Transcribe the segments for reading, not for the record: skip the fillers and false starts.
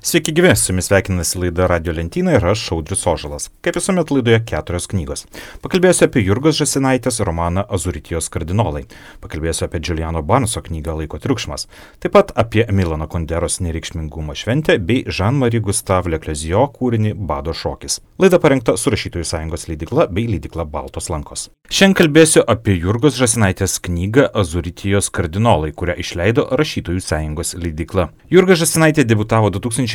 Sveiki gyvi, su jumis sveikinasi laida Radio Lentyna ir aš Audrius Ožalas. Kaip visuomet laidoje 4 knygos. Pakalbėsiu apie Jurgos Žąsinaitės romaną Azuritijos kardinolai. Pakalbėsiu apie Juliano Barneso knygą Laiko triukšmas. Taip pat apie Milano Kunderos nereikšmingumo šventę bei Jean-Marie Gustave Leclerc kūrinį Bado šokis. Laida parengta su Rašytojų sąjungos leidykla bei leidykla Baltos lankos. Šiandien kalbėsiu apie Jurgos Žąsinaitės knygą Azuritijos kardinolai, kurią išleido Rašytojų sąjungos leidykla. Jurga Žąsinaitė debiutavo 2008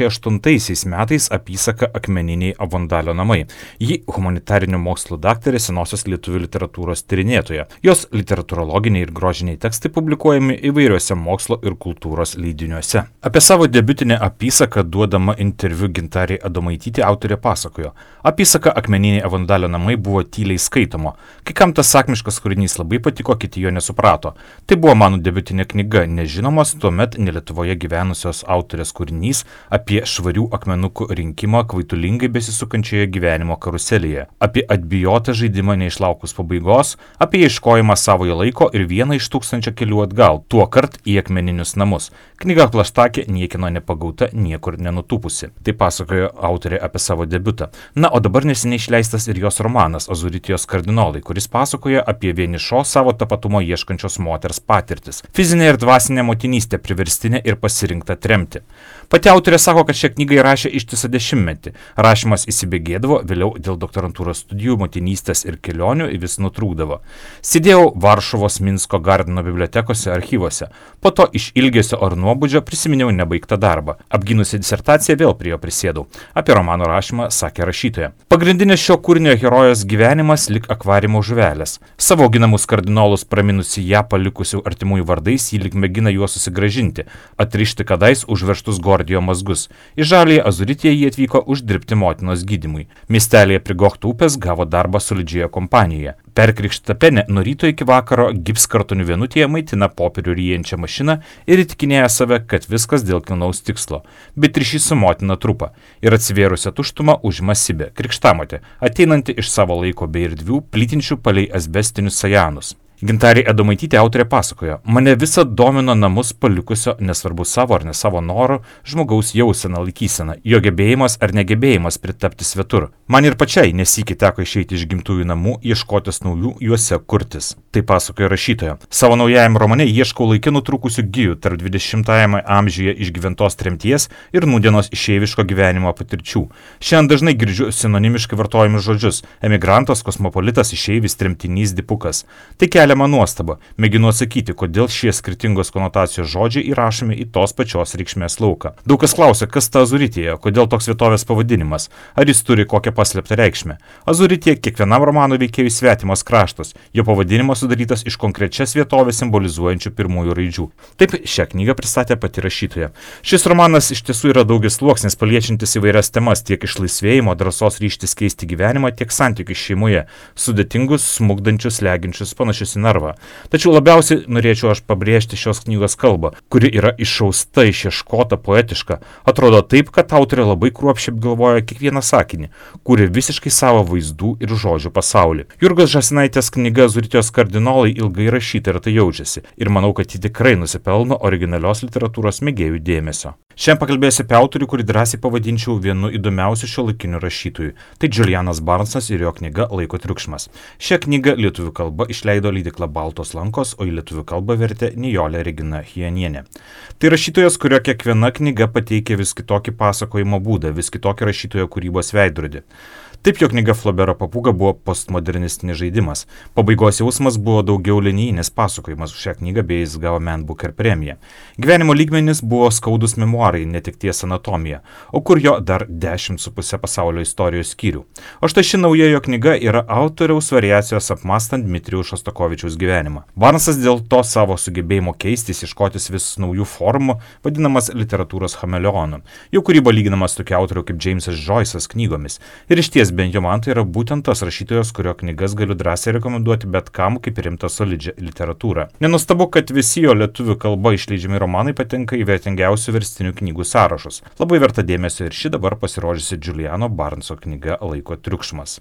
metais apysaka Akmeniniai Avondalio namai. Ji humanitarinių mokslų daktarė, senosios lietuvių literatūros tyrinėtoja. Jos literatūrologiniai ir grožiniai tekstai publikuojami įvairiuose mokslo ir kultūros leidiniuose. Apie savo debiutinę apysaką duodama interviu Gintarei Adomaitytei autorė pasakojo. Apysaka Akmeniniai Avondalio namai buvo tyliai skaitomo. Kai kam tas sakmiškas kūrinys labai patiko, kiti jo nesuprato. Tai buvo mano debiutinė knyga, nežinomas tuomet ne Lietuvoje gyvenusios autorės kūrinys apie švarių akmenukų rinkimą kvaitulingai besisukančioje gyvenimo karuselėje, apie atbijotą žaidimą neišlaukus pabaigos, apie ieškojimą savojo laiko ir vieną iš 1000 kelių atgal, tuo kart į akmeninius namus. Knyga plaštakė, niekino nepagauta, niekur nenutūpusi. Tai pasakojo autorė apie savo debiutą. Na, o dabar neseniai išleistas ir jos romanas Azuritijos kardinolai, kuris pasakoja apie vienišos savo tapatumo ieškančios moters patirtis. Fizinė ir dvasinė motinystė, priverstinė ir pasirinkta tremti. Pati autorė sako, kad šią knygą įrašė ištisą 10-metį. Rašymas įsibėgėdavo, vėliau dėl doktorantūros studijų, motinystės ir kelionių vis nutrūkdavo. Sėdėjau Varšuvos Minsko Gardino bibliotekose, archyvose. Po to iš ilgesio ar nuobodžio prisiminiau nebaigtą darbą. Apgynusi disertaciją vėl prie jo prisėdau. Apie romano rašymą sakė rašytoja. Pagrindinis šio kūrinio herojos gyvenimas lik akvarimo žuvelės. Savo auginamus kardinolus praminusi ją palikusių artimųjų vardais, ji lik mėgina juos susigrąžinti, atrišti kadais užveržtus Gordijo mazgus. Į Žaliąją Azuritiją jie atvyko uždirbti motinos gydymui. Miestelėje prie Gochtų upės gavo darbą solidžioje kompanijoje. Perkrikšta penė nuo ryto iki vakaro gipskartonių vienutėje maitina popierių ryjančią mašiną ir įtikinėja save, kad viskas dėl kilnaus tikslo. Bet ryšys su motina trupa ir atsivėrusią tuštumą užima Sibė, krikštamotė, ateinanti iš savo laiko bei erdvių, plytinčių palei asbestinius sajanus. Gintarė Adomaitytė autorė pasakojo, mane visą domino namus palikusio, nesvarbu savo ar ne savo noro, žmogaus jausena laikysena, jo gebėjimas ar negebėjimas pritapti svetur. Man ir pačiai nesykį teko išeiti iš gimtųjų namų, ieškotis naujų juose kurtis. Tai pasakojo rašytoja. Savo naujajame romane ieškau laike nutrūkusių gijų tarp 20-ajame amžiuje išgyventos tremties ir nūdienos išeiviško gyvenimo patirčių. Šiandien dažnai girdžiu sinonimiškai vartojamus žodžius – emigrantas, kosmopolitas, išeivis, tremtinys, dipukas. Tai keliama nuostaba. Mėginu atsakyti, kodėl šie skirtingos konotacijos žodžiai įrašomi į tos pačios reikšmės lauką. Daug kas klausia, kas ta Azuritija, kodėl toks vietovės pavadinimas, ar jis turi kokią paslėptą reikšmę. Azuritija kiekvienam romano veikėjui svetimas kraštas, jo pavadinimas sudarytas iš konkrečias vietovės simbolizuojančių pirmųjų raidžių. Taip šią knygą pristatė pati rašytoja. Šis romanas iš tiesų yra daugiasluoksnis, paliečiantis įvairias temas, tiek išlaisvėjimo, drąsos ryžtis keisti gyvenimą, tiek santykius šeimoje, sudėtingus, smukdančius, leginčius, panašius į narvą. Tačiau labiausiai norėčiau aš pabrėžti šios knygos kalbą, kuri yra išausta, išieškota, poetiška. Atrodo taip, kad autorė labai kruopščiai apgalvoja kiekvieną sakinį, kuri visiškai savo vaizdų ir žodžių pasaulį. Jurgos Žąsinaitės knyga Azuritijos kardinolai ilgai rašyta ir tai jaučiasi. Ir manau, kad ji tikrai nusipelno originalios literatūros mėgėjų dėmesio. Šiandien pakalbėsiu apie autorių, kurį drąsiai pavadinčiau vienu įdomiausių šiuolaikinių rašytojų. Tai Julianas Barnesas ir jo knyga Laiko triukšmas. Šią knygą lietuvių kalba išleido leidykla Baltos lankos, o į lietuvių kalbą vertė Nijolė Regina Chijenienė. Tai rašytojas, kurio kiekviena knyga pateikia vis kitokį pasakojimo būdą, vis kitokį rašytojo kūrybos veidrodį. Taip jo knyga Flaubero papūga buvo postmodernistinis žaidimas. Pabaigos jausmas buvo daugiau linijinis pasakojimas. Už šią knygą bei jis gavo Man Booker premiją. Gyvenimo lygmenis buvo skaudus memuarai, netekties anatomija, o kur jo dar 10,5 pasaulio istorijos skyrių. O štai ši nauja jo knyga yra autoriaus variacijos apmastant Dmitrijaus Šostakovičiaus gyvenimą. Barnesas dėl to savo sugebėjimo keistis, ieškotis vis naujų formų, vadinamas literatūros chameleonu. Jo kūryba lyginama su tokia autoriu kaip Jamesas Joyce'as knygomis. Ir išties Kas bent jau man tai yra būtent tas rašytojas, kurio knygas galiu drąsiai rekomenduoti bet kam kaip rimtą solidžią literatūrą. Nenustabu, kad visi jo lietuvių kalba išleidžiami romanai patenka į vertingiausių verstinių knygų sąrašus. Labai verta dėmesio ir ši dabar pasirodžiusi Juliano Barneso knyga Laiko triukšmas.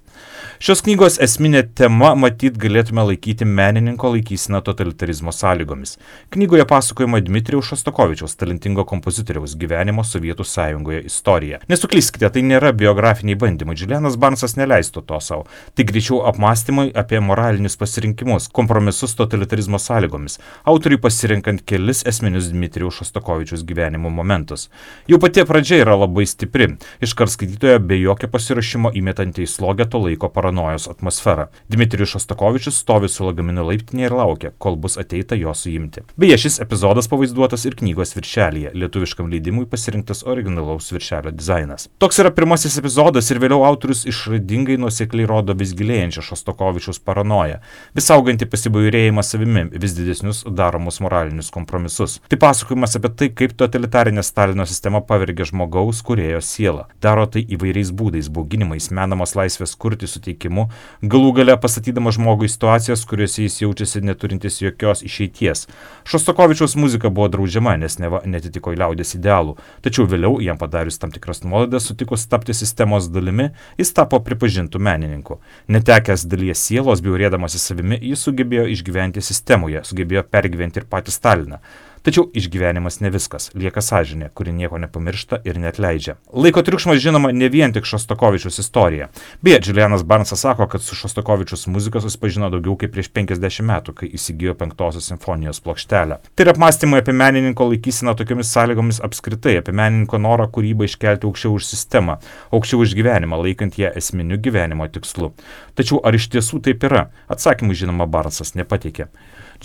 Šios knygos esminė tema matyt galėtume laikyti menininko laikyseną totalitarizmo sąlygomis. Knygoje pasakojama Dmitrijaus Šostakovičiaus, talentingo kompozitoriaus gyvenimo Sovietų Sąjungoje istorija. Nesuklyskite, tai nėra biografiniai bandymai. Julianas Barnesas neleistų to savo. Tai greičiau apmąstymai apie moralinius pasirinkimus, kompromisus totalitarizmo sąlygomis, autoriui pasirinkant kelis esminius Dmitrijaus Šostakovičiaus gyvenimo momentus. Jau pati pradžia yra labai stipri, iškart skaitytojo be jokio pasiruošimo įmetanti į slogę to laiko paranojos atmosferą. Dmitrijus Šostakovičius stovi su lagaminu laiptinėje ir laukia, kol bus ateita jo suimti. Beje, šis epizodas pavaizduotas ir knygos viršelyje, lietuviškam leidimui pasirinktas originalaus viršelio dizainas. Toks yra pirmasis epizodas ir vėliau autorius išradingai nuosekliai rodo vis gilėjančią Šostakovičiaus paranoją, vis augantį pasibjaurėjimą savimi, vis didesnius daromus moralinius kompromisus. Tai pasakojimas apie tai, kaip totalitarinė Stalino sistema pavergia žmogaus kūrėjo sielą. Daro tai įvairiais būdais, bauginimais, menamos laisvės kurti suteikimu, galų gale pastatydama žmogų į situacijas, kuriuose jis jaučiasi neturintis jokios išeities. Šostakovičiaus muzika buvo draudžiama, nes neva netitiko liaudies idealų, tačiau vėliau, jam padarius tam tikras nuolaidas, sutikus tapti sistemos dalimi, jis tapo pripažintų menininku. Netekęs dalies sielos, bjaurėdamasis savimi, jis sugebėjo išgyventi sistemoje, sugebėjo pergyventi ir patį Staliną. Tačiau išgyvenimas ne viskas, lieka sąžinė, kuri nieko nepamiršta ir neatleidžia. Laiko triukšmas žinoma ne vien tik Šostakovičiaus istorija. Beje, Julianas Barnesas sako, kad su Šostakovičiaus muzika susipažino daugiau kaip prieš 50 metų, kai įsigijo 5-osios simfonijos plokštelę. Tai yra apmąstymai apie menininko laikyseną tokiomis sąlygomis apskritai, apie menininko norą kūrybą iškelti aukščiau už sistemą, aukščiau už gyvenimą, laikant ją esminiu gyvenimo tikslu. Tačiau ar iš tiesų taip yra? Atsakymų žinoma Barnesas nepateikė.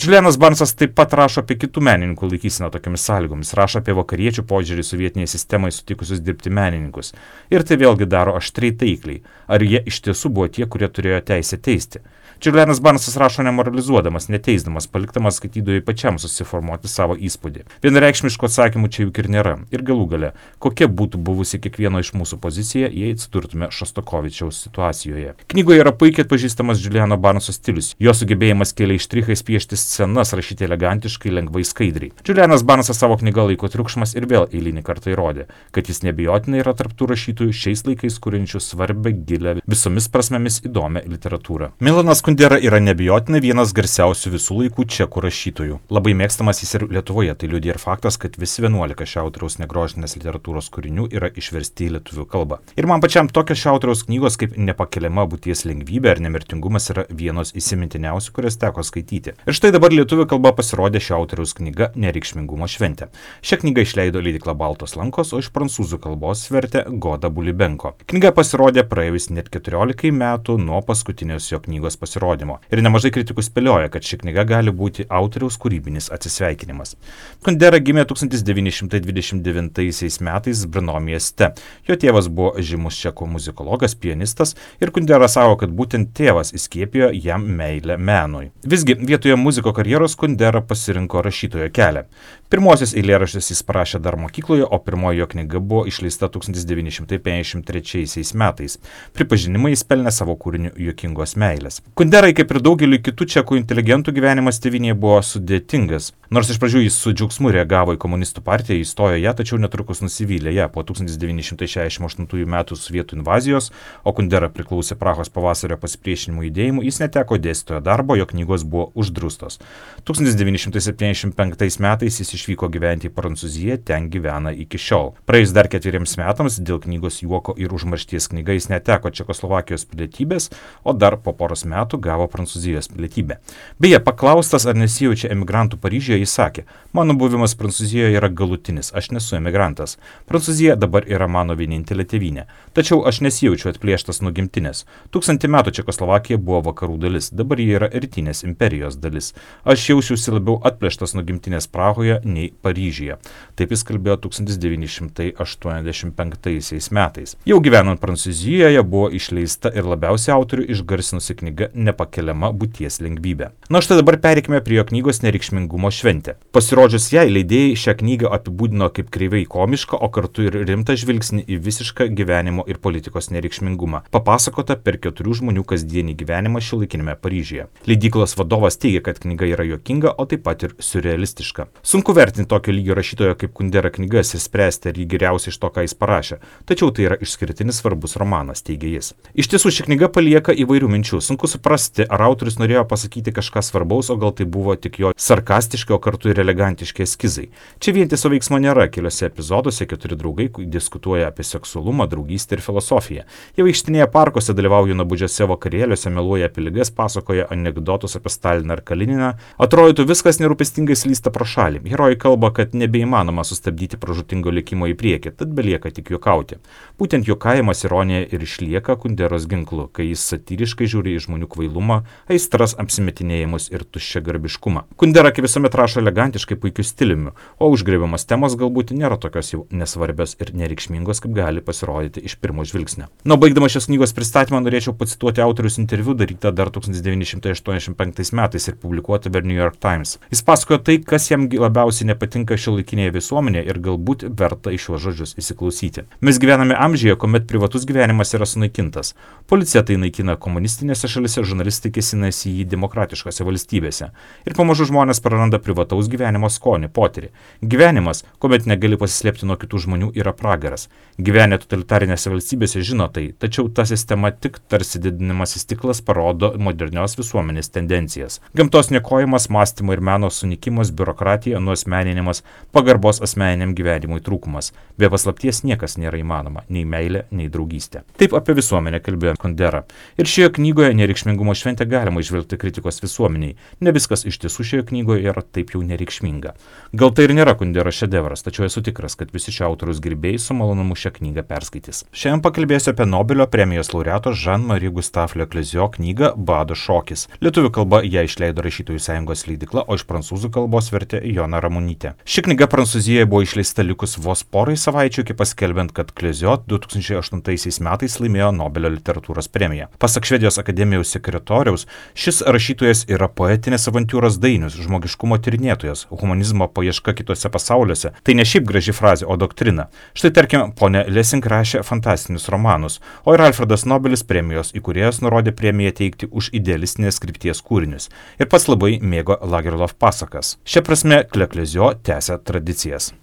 Julianas Barnesas taip pat rašo apie kitų menininkų laikyseną tokiamis sąlygomis, rašo apie vakariečių požiūrį sovietinėje sistemoje sutikusius dirbti menininkus. Ir tai vėlgi daro aštriai taikliai. Ar jie iš tiesų buvo tie, kurie turėjo teisę teisti? Julianas Barnesas rašo nemoralizuodamas, neteisdamas, palikdamas skaitytojui pačiam susiformuoti savo įspūdį. Vienareikšmiškų atsakymų čia juk ir nėra. Ir galų gale, kokia būtų buvusi kiekvieno iš mūsų pozicija, jei atsidurtume Šostakovičiaus situacijoje. Knygoje yra puikiai atpažįstamas Juliano Barneso stilius. Jo sugebėjimas keliais štrichais piešti scenas, rašyti elegantiškai, lengvai, skaidriai. Julianas Barnesas savo knygą Laiko triukšmas ir vėl eilinį kartą įrodė, kad jis neabejotinai yra tarp tų rašytojų šiais laikais kuriančių svarbę, gilę, visomis prasmėmis įdomią literatūrą. Milanas Kundera yra neabejotinai vienas garsiausių visų laikų čekų rašytojų. Labai mėgstamas jis ir Lietuvoje, tai liudija ir faktas, kad visi 11 šio autoriaus negrožinės literatūros kūrinių yra išversti į lietuvių kalbą. Ir man pačiam tokios šio autoriaus knygos kaip Nepakeliama būties lengvybė ar Nemirtingumas yra vienos įsimintiniausių, kurias teko skaityti. Ir štai dabar lietuvių kalba pasirodė šio autoriaus knyga Nereikšmingumo šventė. Šią knygą išleido leidykla Baltos lankos, o iš prancūzų kalbos vertė Goda Bulibenko. Knyga pasirodė praėjus net 14 metų nuo paskutinės jo knygos pasirodymo. Ir nemažai kritikų spėlioja, kad ši knyga gali būti autoriaus kūrybinis atsisveikinimas. Kundera gimė 1929 metais Brno mieste. Jo tėvas buvo žymus čekų muzikologas, pianistas ir Kundera sako, kad būtent tėvas įskiepijo jam meilę menui. Visgi vietoje muziko karjeros Kundera pasirinko rašytojo kelią. Pirmosios eilėraščius jis parašė dar mokykloje, o pirmoji jo knyga buvo išleista 1953 metais. Pripažinimą jis pelnė savo kūriniu Juokingos meilės. Kunderai, kaip ir daugeliu kitų čekų inteligentų, gyvenimas tėvynėje buvo sudėtingas. Nors iš pradžių jis su džiaugsmu reagavo į komunistų partiją, įstojo ją, tačiau netrukus nusivylė ją po 1968 metų sovietų invazijos, o Kundera priklausė Prahos pavasario pasipriešinimo judėjimui, jis neteko dėstytojo darbo, jo knygos buvo uždraustos. 1975 metais jis išvyko gyventi į Prancūziją, ten gyvena iki šiol. Praėjus dar 4 metams dėl knygos Juoko ir užmaršties knyga jis neteko Čekoslovakijos pilietybės, o dar po poros metų gavo Prancūzijos pilietybę. Beje, paklaustas, ar nesijaučia emigrantų Paryžiuje, jis sakė, mano buvimas Prancūzijoje yra galutinis, aš nesu emigrantas. Prancūzija dabar yra mano vienintelė tėvynė. Tačiau aš nesijaučiu atplėštas nuo gimtinės. 1000 metų Čekoslovakija buvo vakarų dalis, dabar ji yra rytinės imperijos dalis. Aš jaučiausi labiau atplėštas nuo gimtinės Prahoje, nei Paryžiuje. Taip jis kalbėjo 1985 metais. Jau gyvenant Prancūzijoje buvo išleista ir labiausiai autorių išgarsinusi knyga Nepakeliama būties lengvybė. Na štai dabar pereikime prie jo knygos Nereikšmingumo šventė. Pasirodžius jai, leidėjai šią knygą apibūdino kaip kreivai komišką, o kartu ir rimtą žvilgsnį į visišką gyvenimo ir politikos nereikšmingumą, papasakota per 4 žmonių kasdienį gyvenimą šiuolaikinėme Paryžiuje. Leidyklos vadovas teigia, kad knyga yra juokinga, o taip pat ir siurrealistiška. Sunku vertinti tokio lygio rašytojo kaip Kundera knygas ir spręsti, ar jį geriausia iš to, ką jis parašė, tačiau tai yra išskirtinis svarbus romanas, teigia jis. Iš tiesų, ši knyga palieka įvairių minčių. Sunku suprasti, ar autorius norėjo pasakyti kažką svarbaus, o gal tai buvo tik jo sarkastiški, o kartu ir elegantiški eskizai. Čia vientiso veiksmo nėra. Keliose epizoduose 4 draugai diskutuoja apie seksualumą, draugystę ir filosofiją. Jie vaikštinėja parkuose, dalyvauja nuobodžiuose vakarėliuose, meluoja apie ligas, pasakoja anekdotus apie Staliną ir Kalininą. Atrodytų, viskas nerūpestingai slysta pro šalį. Herojai kalba, kad nebeįmanoma sustabdyti pražūtingo likimo į priekį, tad belieka tik juokauti. Būtent juokavimas, ironija ir išlieka Kunderos ginklu, kai jis satyriškai žiūri į žmonių kvailumą, aistras, apsimetinėjimus ir tuščiagarbiškumą. Kundera kaip visuomet rašo elegantiškai, puikiu stiliumi, o užgriebiamas temos galbūt nėra tokios jau nesvarbios ir nereikšmingos, kaip gali pasirodyti iš pirmo žvilgsnio. Na, baigdama šios knygos pristatymą norėčiau pacituoti autorius interviu darytą dar 1985 metais ir publikuotą per New York Times. Jis pasakojo tai, kas jam labiausiai nepatinka šiuolaikinėje visuomenėje ir galbūt verta į šiuos žodžius įsiklausyti. Mes gyvename amžiuje, kuomet privatus gyvenimas yra sunaikintas. Policija tai naikina komunistinėse šalise, žurnalistai kėsinasi į jį demokratiškose valstybėse. Ir pamažu žmonės praranda privataus gyvenimo skonį, potyrį. Gyvenimas, kuomet negali pasislėpti nuo kitų žmonių, yra pragaras. Gyvenę totalitarinėse valstybėse žino tai, tačiau ta sistema tik tarsi didinimasis stiklas parodo modernios visuomenės tendencijas. Gamtos niokojimas, mąstymo ir meno sunikimas, biurokratija, nuasmeninimas, pagarbos asmeniniam gyvenimui trūkumas. Be paslapties niekas nėra įmanoma, nei meilė, nei draugystė. Taip apie visuomenę kalbėjo Kundera. Ir šioje knygoje Nereikšmingumo šventę galima išvelgti kritikos visuomeniai. Ne viskas iš tiesų šioje knygoje yra taip jau nereikšminga. Gal tai ir nėra Kundera šedevras, tačiau esu tikras, kad visi šio autoriaus gerbėjai su malonumu šią knygą perskaitys. Šiandien pakalbėsiu apie Nobelio premijos laureato Jean-Marie Gustave Leclésio knygą Bado šokis. Lietuvių kalba ją išleido Rašytojų sąjungos leidykla, o iš prancūzų kalbos vertė Jona Ramunytė. Ši knyga Prancūzijoje buvo išleista likus vos porai savaičių iki paskelbiant, kad Clésio 2008 metais laimėjo Nobelio literatūros premiją. Pasak Švedijos akademijos sekretoriaus, šis rašytojas yra poetinės avantiūros dainius, žmogiškumo tyrinėtojas, humanizmo paieška kitose pasauliuose. Tai ne šiaip graži frazė, o doktrina. Štai tarkim, ponė Lessing rašė fantastinius romanus, o ir Alfredas Nobelis premijos įkūrėjas nurodė premiją teikti už idealistinės krypties kūrinius ir pats labai mėgo Lagerlof pasakas. Šia prasme, Leclésio tęsia tradicijas.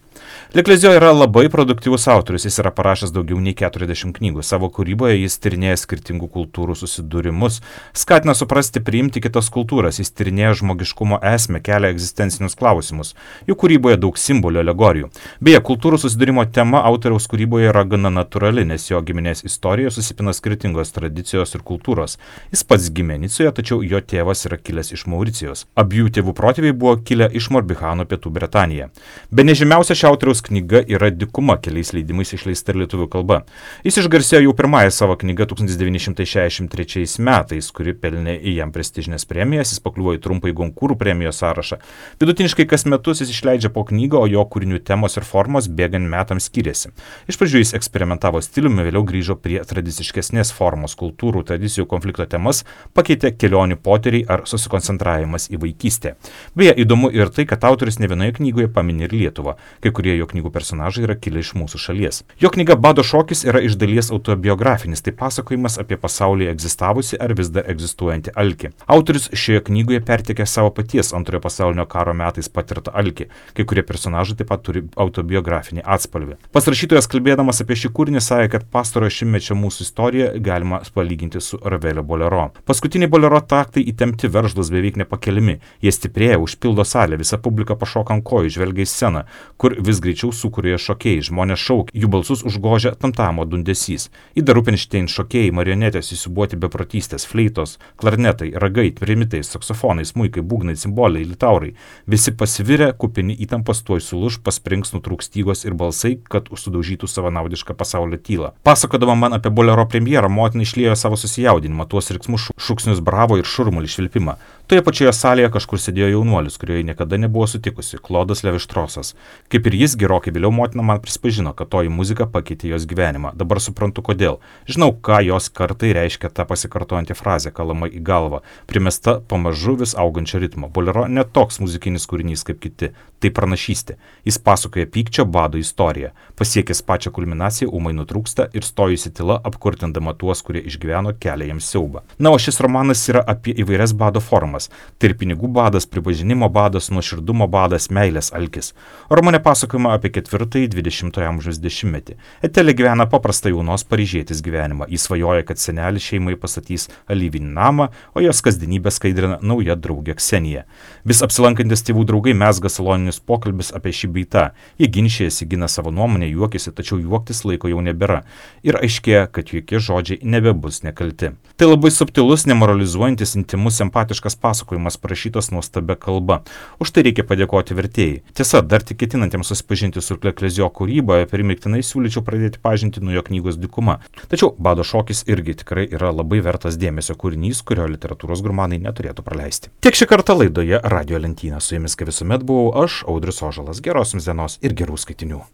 Leclésio yra labai produktyvus autorius, jis yra parašęs daugiau nei 40 knygų. Savo kūryboje jis tyrinėja skirtingų kultūrų susidūrimus, skatina suprasti, priimti kitas kultūras, jis tyrinėja žmogiškumo esmę, kelia egzistencinius klausimus. Jų kūryboje daug simbolių, alegorijų. Beje, kultūrų susidūrimo tema autoriaus kūryboje yra gana natūrali, nes jo giminės istorijoje susipina skirtingos tradicijos ir kultūros. Jis pats gimė Nicoje, tačiau jo tėvas yra kilęs iš Mauricijos. Abiejų tėvų protėviai buvo kilę iš Morbihano, Pietų Britanijoje. Bene žymiausia šio autoriaus knyga yra Dykuma, keliais leidimais išleista ir lietuvių kalba. Jis išgarsėjo jau pirmąją savo knygą 1963 metais, kuri pelnė į jam prestižinės premijas, jis pakliuvo į trumpąjį Gonkūrų premijos sąrašą. Vidutiniškai kas metus jis išleidžia po knygą, o jo kūrinių temos ir formos bėgant metams skiriasi. Iš pradžių jis eksperimentavo stiliumi, vėliau grįžo prie tradiciškesnės formos, kultūrų, tradicijų, konflikto temas, pakeitė kelionių potyriai ar susikoncentravimas į vaikystę. Beje, įdomu ir tai, kad autorius ne vienoje knygoje pamini ir Lietuvą. Kai kurie jo knygų personažai yra kilę iš mūsų šalies. Jo knyga Bado šokis yra iš dalies autobiografinis, tai pasakojimas apie pasaulyje egzistavusi ar vis dar egzistuojantį alkį. Autorius šioje knygoje perteikė savo paties antrojo pasaulinio karo metais patirtą alkį. Kai kurie personažai taip pat turi autobiografinį atspalvį. Pats rašytojas kalbėdamas apie šį kūrinį sakė, kad pastarojo šimtmečio mūsų istoriją galima palyginti su Ravelio bolero. Paskutiniai bolero taktai įtempti, veržlūs, beveik nepakeliami. Jie stiprėja, užpildo salę, visa publika pašoka ant kojų, žvelgia į sceną, kur vis greičiau sukūrė šokėjai, žmonės šaukia, jų balsus užgožia tamtamo dundesys. Ida Rupinštein šokėjai, marionetės įsibuoti beprotystės, fleitos, klarnetai, ragai, trimitai, saksofonai, smuikai, būgnai, cimboliai, litaurai. Visi pasivirę, kupini įtampos tuoj sulūž, pasprings, nutrūks stygos ir balsai, kad sudaužytų savanaudišką pasaulio tylą. Pasakodama man apie bolero premjerą, motina išliejo savo susijaudinimą, tuos riksmus šūksnius bravo ir šurmulį švilpimą. Toje pačioje salėje kažkur sėdėjo jaunuolis, kurioje niekada nebuvo sutikusi, Klodas Levištrosas. Kaip ir jis, gerokai vėliau motina man prisipažino, kad toji muzika pakeitė jos gyvenimą. Dabar suprantu kodėl. Žinau, ką jos kartai reiškia ta pasikartojanti frazė, kalama į galvą, primesta pamažu vis augančio ritmo. Bolero ne toks muzikinis kūrinys kaip kiti, tai pranašystė. Jis pasakoja pykčio bado istoriją. Pasiekęs pačią kulminaciją, ūmai nutrūksta ir stojusi tyla apkurtindama tuos, kurie išgyveno kelią jiems siaubą. Na, o šis romanas yra apie įvairias bado formas. Tai ir pinigų badas, pripažinimo badas, nuoširdumo badas, meilės alkis. Romane pasakojama apie 4-ąjį 20-ojo amžiaus dešimtmetį. Etelė gyvena paprastą jaunos paryžietės gyvenimą. Jis svajoja, kad senelis šeimai pastatys alyvinį namą, o jos kasdienybę skaidrina nauja draugė Ksenija. Vis apsilankantis tėvų draugai mezga saloninius pokalbis apie šį beitą. Jie ginčijasi, gina savo nuomonę, juokiasi, tačiau juoktis laiko jau nebėra. Ir aiškėja, kad jokie žodžiai nebebus nekalti. Tai labai subtilus, nemoralizuojantis, intimus, empatiškas pasakojimas parašytas nuostabia kalba. Už tai reikia padėkoti vertėjai. Tiesa, dar tik ketinantiems susipažinti su Kleklezio kūryba, primiktinai siūlyčiau pradėti pažinti nuo jo knygos Dykuma. Tačiau Bado šokis irgi tikrai yra labai vertas dėmesio kūrinys, kurio literatūros gurmanai neturėtų praleisti. Tiek šį kartą laidoje Radio lentyna. Su jumis kaip visuomet buvau aš, Audrius Ožalas. Geros jums dienos ir gerų skaitinių.